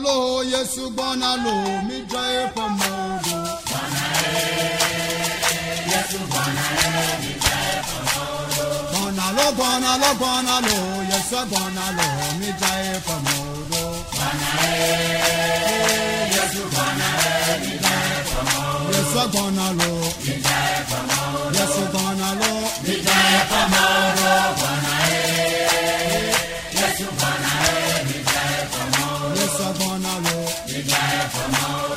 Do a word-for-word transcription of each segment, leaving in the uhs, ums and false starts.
lo, Yesu gbɔna lo, midzra eƒe mɔwo ɖo. Gbɔna lo, gbɔna lo, gbɔna lo, Yesu gbɔna lo, midzra eƒe mɔwo ɖo. Yesu gbɔna lo, Yesu gbɔna lo, midzra eƒe mɔwo ɖo. Yesu gbɔna lo,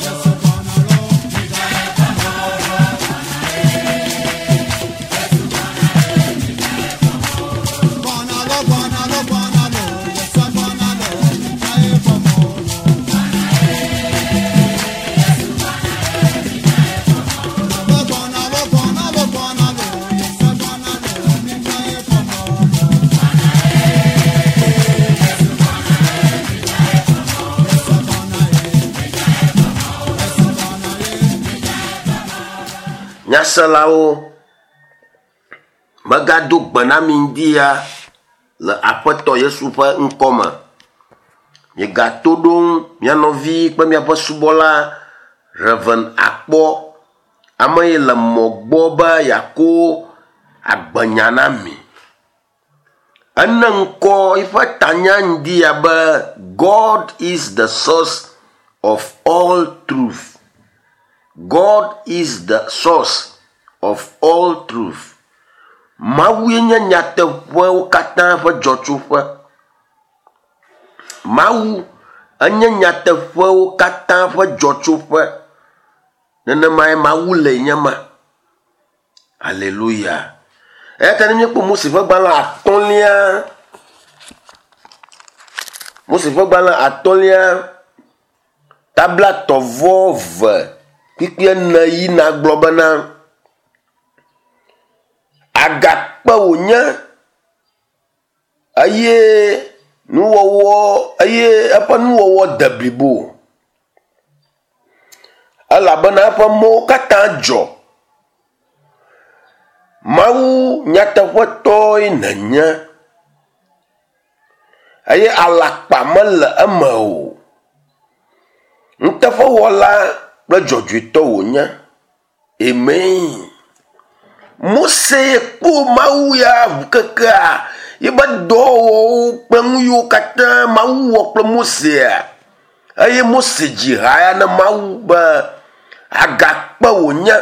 Yesu gbɔna lo, midzra eƒe mɔwo ɖo. Gbɔna lo, gbɔna lo, gbɔna lo, Yesu gbɔna lo, midzra eƒe mɔwo ɖo. Gbɔna lo, gbɔna lo, gbɔna lo, Yesu gbɔna lo, midzra eƒe mɔwo ɖo. Yesu gbɔna ye, Yesu gbɔna ye. Nyaselawo, megado gbe na mi ŋdi ya le Aƒetɔ Yesu ƒe ŋkɔme. Migato ɖom mia nɔvi kple miaƒe subɔla Reverend Akpɔ, ame yi le mɔ gbɔ be yeako agbenya na mi. Ene ŋkɔ eƒe tanya ŋdi ya be God is the source of all truth. God is the source of all truth. Mawue nye nyateƒewo katã ƒe dzɔtsoƒe. Mawu enye nyateƒewo katã ƒe dzɔtsoƒe. Nenemae Mawu le nye ma. Aleluya. Eya ta ne míekpɔ Mose ƒe gbalẽ atɔ̃lia, Mose ƒe gbalẽ atɔ̃lia, tablatɔ̃ vɔ ve kpikpi ene yina gblɔ bena agakpe wònye eye nuwɔwɔ eye eƒe nuwɔwɔ de blibo elabena eƒe mɔwo katã dzɔ. Mawu nyateƒetɔe nènye eye alakpa mele eme o. Nuteƒewɔla kple dzɔdzɔetɔ wònye. Amen. Mose kpɔ Mawu ya ŋu kekea yebe dɔwɔwɔwo kple nu yiwo katã Mawu wɔ kple Mosea eye Mose dzi ha ya na Mawu be agakpe wònye.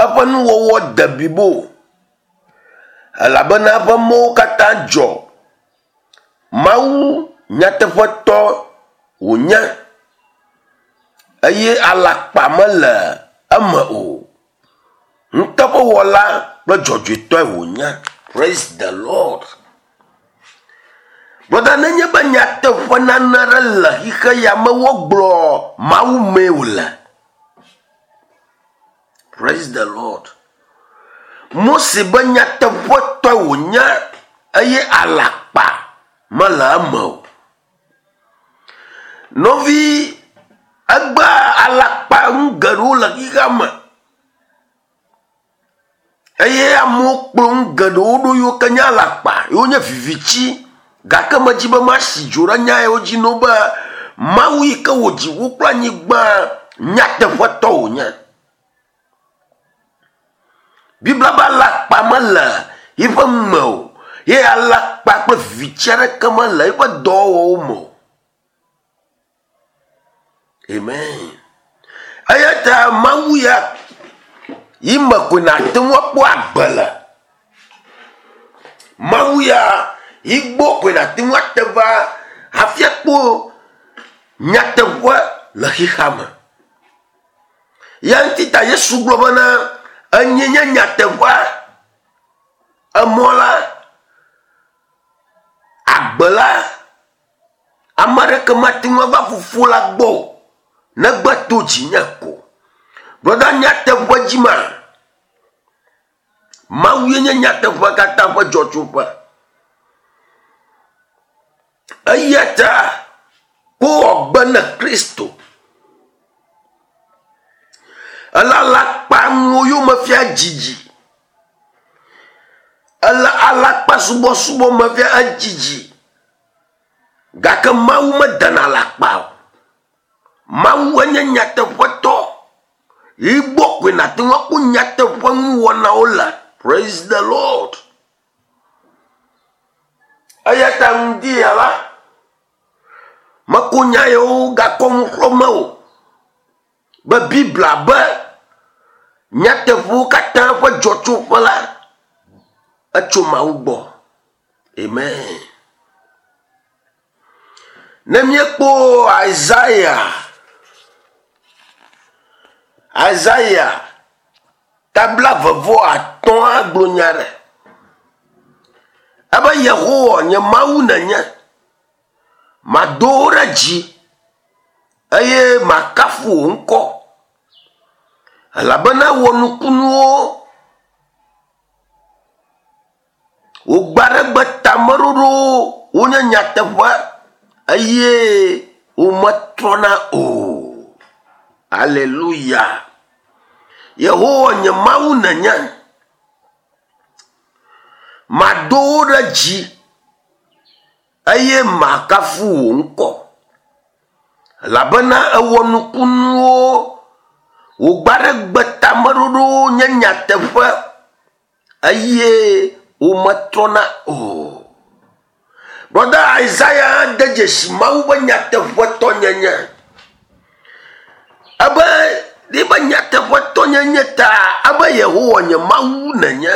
Eƒe nuwɔwɔ de blibo elabena eƒe mɔwo katã dzɔ. Mawu nyateƒetɔ wònye eye alakpa mele eme o. Nuteƒewɔla kple dzɔdzɔetɔe wònye. Praise the Lord. Brɔda, nenye be nyateƒe nane aɖe le xixe ya me wogblɔ Mawu mee wòle. Praise the Lord. Mose be nyateƒetɔe wònye eye alakpa mele eme o. Nɔvi, egbea alakpa nu geɖewo le xixea me eye amewo kplɔ nu geɖewo ɖo yiwo ke nye alakpa, yiwo nye vivitsi gake medzi be masi dzo ɖe nya yawo dzi na wo be Mawu yi ke wɔ dziƒo kple anyigba nyateƒetɔ wònye. Biblia be alakpa mele yiƒe nu me o ye alakpa kple vivitsi aɖeke mele eƒe dɔwɔwɔwo me o. Amen. Eya ta Mawu ya yi me koe nàte ŋu akpɔ agbe le. Mawu ya yi gbɔ koe nàte ŋu ate va hafi akpɔ nyateƒe le xixea me. Ya ŋuti ta Yesu gblɔ bena enye nye nyateƒea, emɔ la, agbe la, ame aɖeke mate ŋu ava fofo la gbɔ o negbe to dzinye ko. Brɔda, nyateƒe dzi ma, Mawu ye nye nyateƒe katã ƒe dzɔtsoƒe. Eya ta wowɔ gbe na Kristo. Ele alakpa nuwo yome fia dzidzi. Ele alakpa subɔsubɔ me fia edzidzi. Gake Mawu medana le akpa o. Mawu enye nyateƒetɔ. Yi gbɔ koe nàte ŋu akpɔ nyateƒe nuwɔnawo le. Praise the Lord. Eya ta ŋdi ya la, meko nya yawo gakɔ nu xlɔ̃me o be Biblia be nyateƒewo katã ƒe dzɔtsoƒe la etso Mawu gbɔ. Amen. Ne míekpɔ Isaiah, Isaiah tabla vevɔ atɔ̃a gblɔ nya ɖe. Ebe Yehowa nye Mawu nenye. Mado wo ɖe dzi eye makafu wò ŋkɔ. Elabena wɔ nukunuwo. Wò gbe aɖe gbe tameɖoɖowo wonye nyateƒe eye wometrɔna o. Aleluya. Yehowa nye Mawu nenye. Mado wo ɖe dzi eye makafu wò ŋkɔ. Elabena ewɔ nukunuwo. Wò gbe aɖe gbe tameɖoɖowo nye nyateƒe eye wometrɔna o. Brɔda Isaiah de dzesi Mawu ƒe nyateƒetɔnyenye. Ebe ebe nyateƒetɔnyenye ta ebe Yehowa nye Mawu nenye.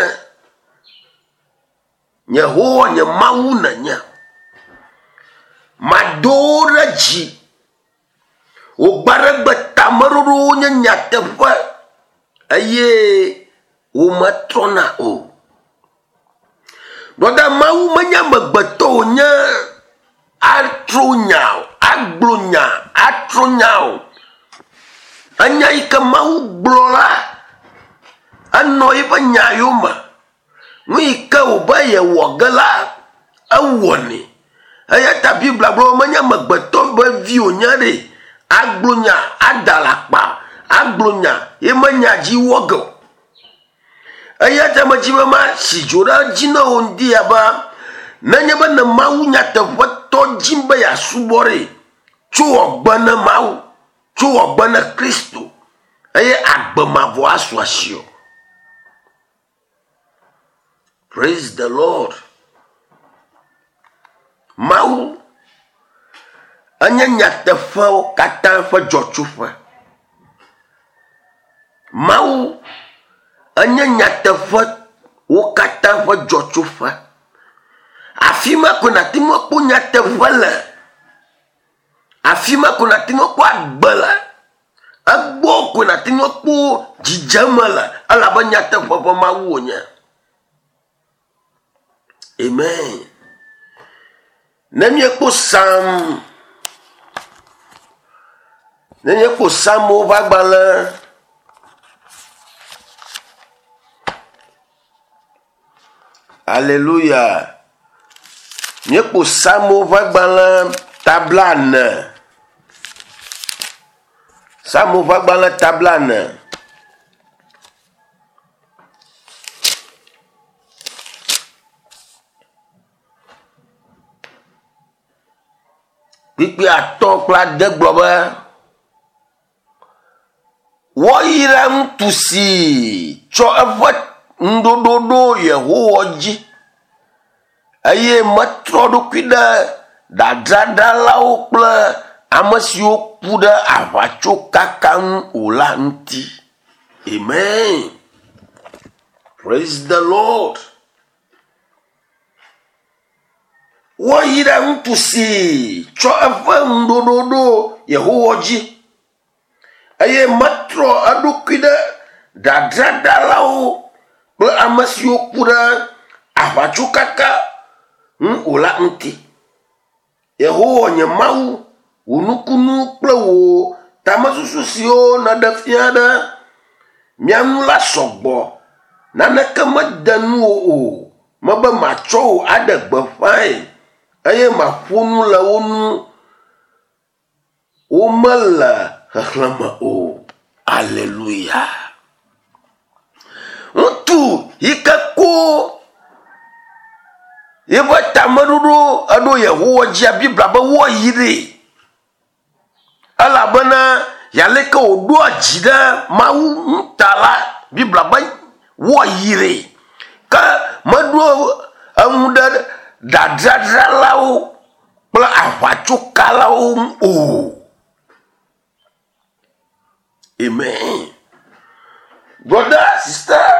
Yehowa nye Mawu nenye. Mado wo ɖe dzi. Wò gbe aɖe gbe tameɖoɖowo nye nyateƒe eye wometrɔna o. Brɔda Mawu menye amegbetɔ wònye atro nya o, agblɔ nya, atro nya o. Enya yi ke Mawu gblɔ la, enɔ eƒe nya yome. Nu yi ke wòbe yewɔ ge la, ewɔnɛ. Eya ta Biblia gblɔ be menye amegbetɔ be vi wònye ɖe. Agblɔ nya, ada le akpa, agblɔ nya, ye menya dzi wɔ ge o. Eya ta medzi be masi dzo ɖe edzi na wò ŋdi ya be nenye be ne Mawu nyateƒetɔ dzim be yeasubɔ ɖe, tso wɔgbe ne Mawu, tso wɔgbe ne Kristo eye agbe mavɔ asu asiwò. Praise the Lord. Mawu enye nyateƒewo katã ƒe dzɔtsoƒe. Mawu enye nyateƒewo katã ƒe dzɔtsoƒe. Afi ma ko nàte ŋu akpɔ nyateƒe le. Afi ma ko nàte ŋu akpɔ agbe le. Egbɔ ko nàte ŋu akpɔ dzidzeme le elabe nyateƒe ƒe Mawu wònye. Amen. Ne míekpɔ Psalm, ne míekpɔ Psalmwo ƒe agbalẽ, Alléluia. Míekpɔ Psalmwo ƒe agbalẽ tabla ene. Psalmwo ƒe agbalẽ tabla ene. Kpikpi atɔ̃ kple ade gblɔ be woayra ŋutsu si tsɔ eƒe ŋuɖoɖo ɖo Yehowa dzi eye metrɔ eɖokui ɖe dadraɖalawo kple ame siwo ku ɖe aʋatsokaka ŋu o la ŋuti. Amen. Praise the Lord. Woayra ŋutsu si tsɔ eƒe ŋuɖoɖo ɖo Yehowa dzi eye metrɔ eɖokui ɖe dadraɖalawo kple ame siwo ku ɖe aʋatsokaka ŋu o la ŋuti. Yehowa nye Mawu, wò nukunu kple wò tamesusu siwo nèɖe fia ɖe mía ŋu la sɔgbɔ. Naneke mede nuwò o. Mebe matsɔ wò aɖe gbeƒãe eye maƒo nu le wo ŋu. Womele xexlẽme o. Alléluia. Ŋutsu yi ke ko Yeƒe tameɖoɖo eɖo Yehowa dzia Biblia be woayi ɖee. Elabena yaleke wòɖoa dzi ɖe Mawu ŋu ta la, Biblia be woayi ɖee. Ke meɖo eŋu ɖe dadradralawo kple aʋatsokalawo ŋu o. Amen. Brother, sister,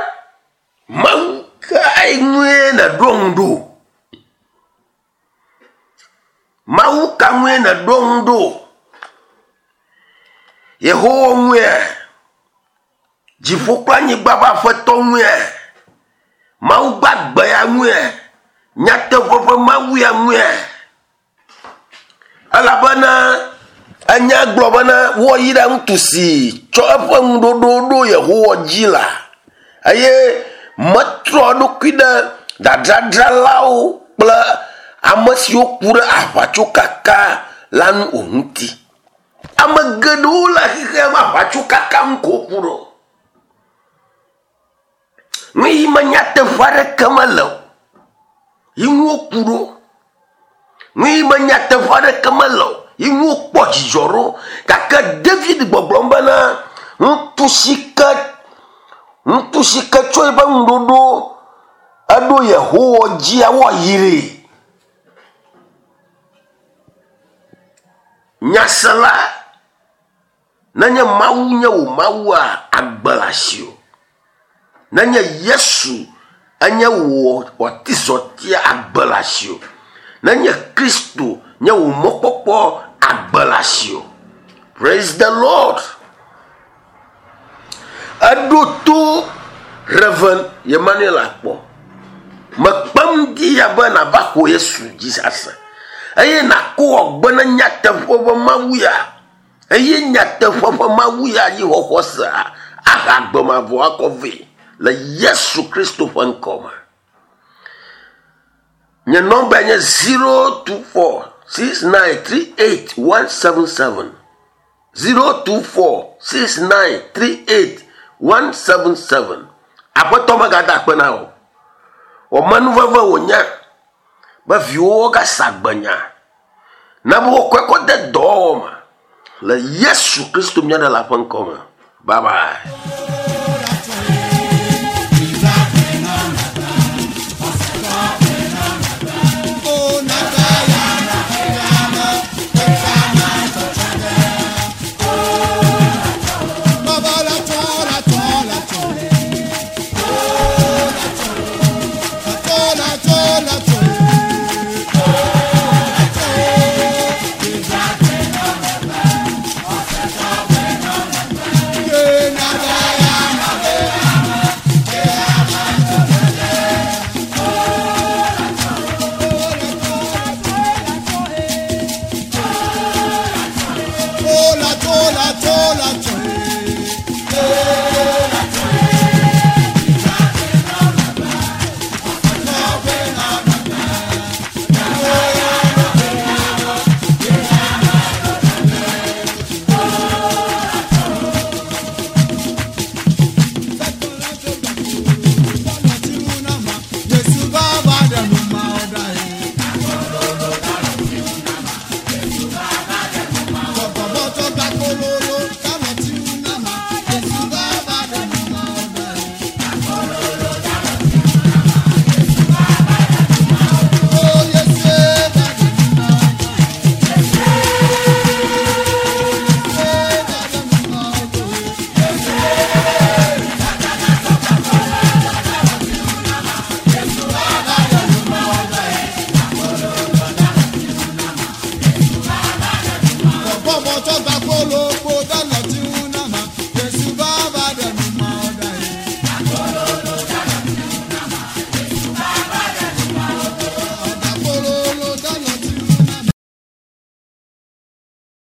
Mawu kae ŋue nèɖo ŋu ɖo? Mawu ka ŋue nèɖo ŋu ɖo? Yehowa ŋuea? Dziƒo kple anyigba ƒe aƒetɔ ŋuea? Mawu gbagbe ya ŋuea? Nyateƒe ƒe Mawu ya ŋuea? Elabena enya gblɔ bena woayi ɖe ŋutsu si tsɔ eƒe ŋuɖoɖo ɖo Yehowa dzi la, eye metrɔ eɖokui ɖe dadradralawo kple ame siwo ku ɖe aʋatsokaka la ŋu o ŋuti. Ame geɖewo le xexea me aʋatsokaka ŋu ko woku ɖo. Nu yi me nyateƒe aɖeke mele o, yi ŋu woku ɖo. Nu yi me nyateƒe aɖeke mele o, yi ŋu wokpɔ dzidzɔ ɖo. Gake David gbɔgblɔm bena ŋutsu si ke ŋutsu si ke tsɔ eƒe ŋuɖoɖo eɖo Yehowa dzia woayi ɖee. Nyasela, nenye Mawu nye wò Mawua, agbe le asiwò. Nenye Yesu enye wò atizɔtia, agbe le asiwò. Nenye Kristo nye wò mɔkpɔkpɔ, agbe le asiwò. Praise the Lord. Eɖo to Reverend Emmanuel Akpɔ. Mekpem di ya be nava xɔ Yesu dzi ase. Eye nàkɔ agbe ne nyateƒe ƒe Mawu ya. Eye nyateƒe ƒe Mawu ya yi xɔxɔ sea, aha agbe mavɔ akɔ vɛ le Yesu Kristo ƒe ŋkɔ me. Nye nɔmba nye zero two four six nine three eight one seven seven. zero two four six nine three eight one seven seven. Aƒetɔ megada akpe na wò. Wɔmenuveve wònye be viwòwo gasa agbenya ne be wokɔe kɔ de dɔwɔwɔ me le Yesu Kristo mía Ɖela ƒe ŋkɔ me. Bye bye. Bọ́bọ̀ tó gba kóló.